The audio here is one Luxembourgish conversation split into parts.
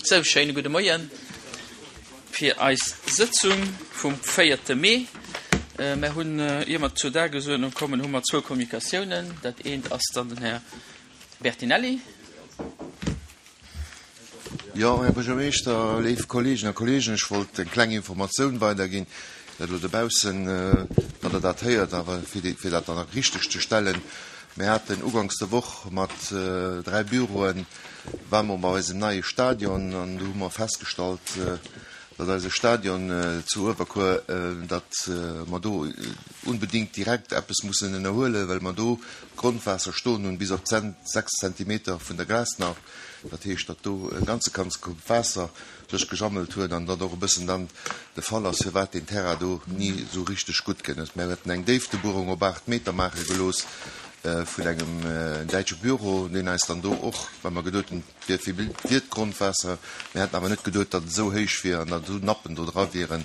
Sou, schéine gudde Moien fir eis Sëtzung vum véierte Mee. Mer hunn, ier mer zur Dagesuerdnung kommen, hu mer zwou Kommunikatiounen. Dat eent ass dann den Här Bertinelli. Jo, Här Buergermeeschter, léif Kolleegen a Kolleegen, ech wollt eng kleng Informatioun weiderginn, dat elo dobaussen, datt Der dat héiert, awer fir dat dann richteg ze stellen, Mir haten uganks der Woch mat 3 Büroen, ware mer bei eisem neie Stadion an do hu mer festgestallt, datt eise Stadion zu Uewerkuer, datt mer do unbedingt direkt eppes mussen ënnerhuelen, well mer do d'Grondwaasser stoen hunn bis op 6 Zentimeter vun der Glasnacht. Dat heescht, datt do e ganze ganze Koup Waasser sech gesammelt huet an datt och e bëssen dann de Fall ass, firwat deen Terrain do ni esou richteg gutt gëtt ass. Mir haten eng Déiftebuerung op 8 Meter maache gelooss vun engem däitsche Büro, deen eis dann do och, well mer geduet hunn, et wier vill, wier d'Grondwaasser, mir hätten awer net geduet, datt et esou héich wier an datt esou Nappen do dra wieren,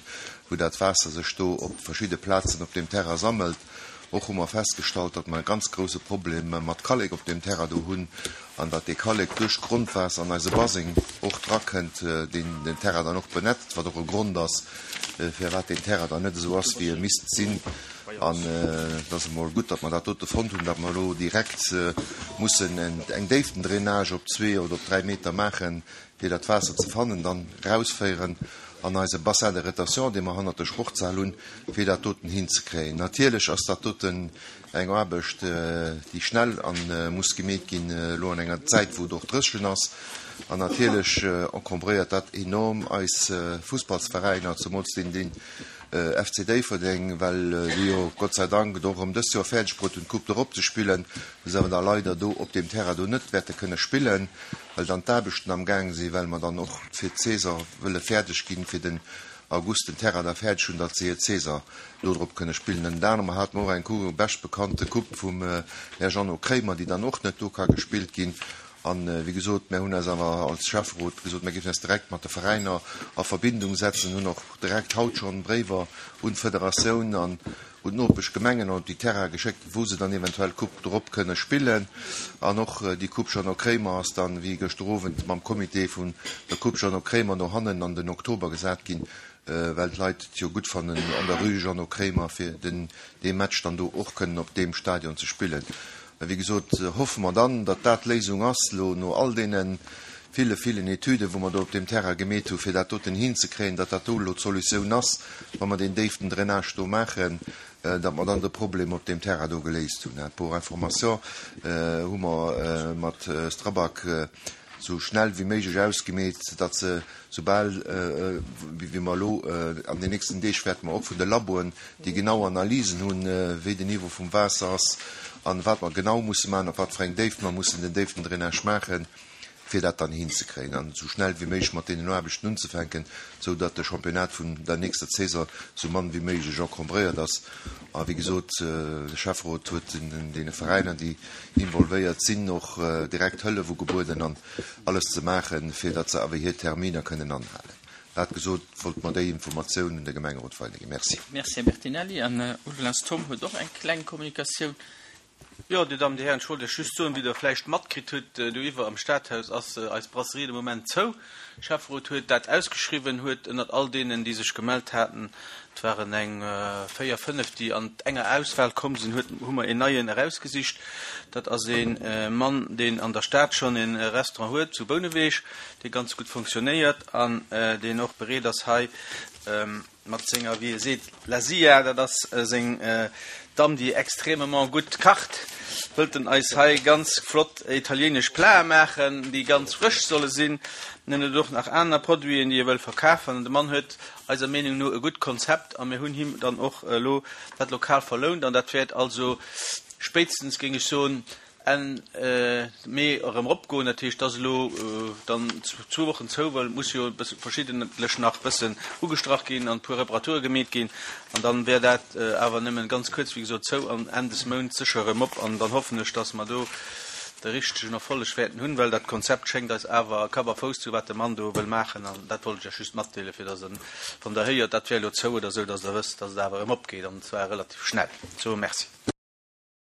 wou dat Waasser sech do op verschidde Plazen op deem Terrain sammelt. Och hu mer festgestallt, datt mer e ganz grouse Problem mat Kallek op deem Terrain do hunn an datt dee Kallek duerch d'Grondwaasser an eise Baseng och drakënnt, deen den Terrain dann och benetzt, wat och e Grond ass, firwat deen Terrain dann net esou ass, wéi e misst sinn. An et ass emol gutt, datt mer dat dote fonnt hunn, datt mer elo direkt mussen eng Déiftendrainage op zwee oder op dräi Meter maachen, fir dat Waasser ze fannen, dann rausféieren an eise Bassin de rétention, dee mer hannert der Sportshal hunn, fir dat doten hinzekréien. Natierlech ass dat doten eng Aarbecht, déi schnell a muss gemeet ginn, elo an enger Zäit, wou et och dréchen ass. An natierlech encombréiert dat enorm eis Fussballsveräiner, zemools deen, deen FC Déifferdeng, well déi jo Gott sei Dank et och erëm dëst Joer fäerdeg bruet hunn, d'Coupe d'Europe ze spillen, wou se awer da leider do op deem Terrain do net wäerte kënne spillen. well dann d'Aarbechten am Gaang sinn, well mer dann och fir d'Saison wëlle fäerdeg ginn, fir den August den Terrain da fäerdeg hunn, datt se hir Saison do drop kënne spillen. Ënnert anerem hate mer och eng Coupe, bescht bekannte Coupe vum Här Jeannot Kremer, déi dann och net do ka gespillt ginn. An, wéi gesot, mär hunn eis awer als Schäfferot gesot, mär géifen eis direkt mat de Veräiner a Verbindung setzen, hunn och direkt haut schonn Bréiwer un d'Federatioun an un d'Nopeschgemengen an op déi Terraine geschéckt, wou se dann eventuell d'Coupe drop kënne spillen. An och déi Coupe Jeannot Kremer ass dann, wéi gëschter Owend mam Comité vun der Coupe Jeannot Kremer, no hannen an den Oktober gesat ginn, well d'Leit et jo gutt fannen an der Rue Jeannot Kremer, fir den dee Match dann do och kënnen op deem Stadion ze spillen. Mä wéi gesot, hoffe mer dann, datt dat d'Léisung ass, elo no all deene ville, villen Etüden, wou mer do op deem Terrain gemeet hu fir dat doten hinzekréien, datt dat do elo d'Solutioun ass, wa mer deen déiften Drainage do maachen, datt mer dann de Problem op deem Terrain do geléist hunn. Pour information hu mer mat Strabag esou schnell wéi méiglech ausgemeet, datt se soubal wéi mer elo an den nächsten Deeg wäerte mer och vun de Laboen déi genau Analysen hunn, wéi den Niveau vum Waasser ass an wat mer genau musse maachen, op wat fir eng Déift mer mussen den Déiftendrainage maachen, fir dat dann hinzekréien an esou schnell wéi méiglech mat deenen Aarbechten unzefänken, esou datt de Championnat vun der nächster Saison esou mann wéi méiglech encombréiert ass. A wéi gesot, de Schäfferot huet deene Veräiner, déi involvéiert sinn, och direkt Hëllef ugebueden an alles ze maachen, fir datt se awer hir Terminer kënnen anhalen. Dat gesot, wollt mer déi Informatioun un de Gemengerot weiderginn. Merci. Merci, Här Bertinelli. An Ugelas Tom huet och eng kleng Kommunikatioun. Jo, Dir Dammen, Dir Hären, ech wollt Iech just soen, wéi Der vläicht matkritt hutt, doiwwer am Stadhaus ass eis Brasserie de Moment zou. De Schäfferot huet dat ausgeschriwwen, huet ënnert all deenen, déi sech gemellt haten, et waren eng véier, fënnef, déi an enger Auswahl komm sinn, huet, hu mer een neien erausgesicht. Dat ass ee Mann, deen an der Stad schonn e Restaurant huet, zu Bouneweg, dee ganz gutt fonctionnéiert an deen och bereet ass, hei Mat senger, wéi e seet, La Zia, dat ass seng Damm, déi extrêmement gutt kacht, wëllt en eis hei ganz flott italienesch Plate maachen, déi ganz frësch solle sinn. En huet och nach aner Produiten, déi e wëll verkafen. An de Mann huet eiser Meenung no e gutt Konzept a mir hunn him dann och elo dat Lokal verlount an dat wäert also spéitstens, géing ech soen, Enn Mee erëm eropgoen. Dat heescht, et ass elo dann zwou Wochen zou, well et muss jo e bësse verschiddentlech nach bëssen ugestrach ginn an e puer Reparature gemeet ginn. An dann wär dat awer nëmmen ganz kuerz, wéi gesot, zou an Enn des Mounts sécher erëm op. An dann hoffen ech, dass mer do de richtegen Erfolleg wäerten hunn, well dat Konzept schéngt eis awer Kapp a Fouss ze hu wat de Mann do wëll maachen. An dat wollt ech Iech just matdeelen, fir dass Der, wann Der héiert, dat wär elo zou oder esou, dass Der wësst, dass et awer erëm opgeet, an zwar relativ schnell. Sou, Merci.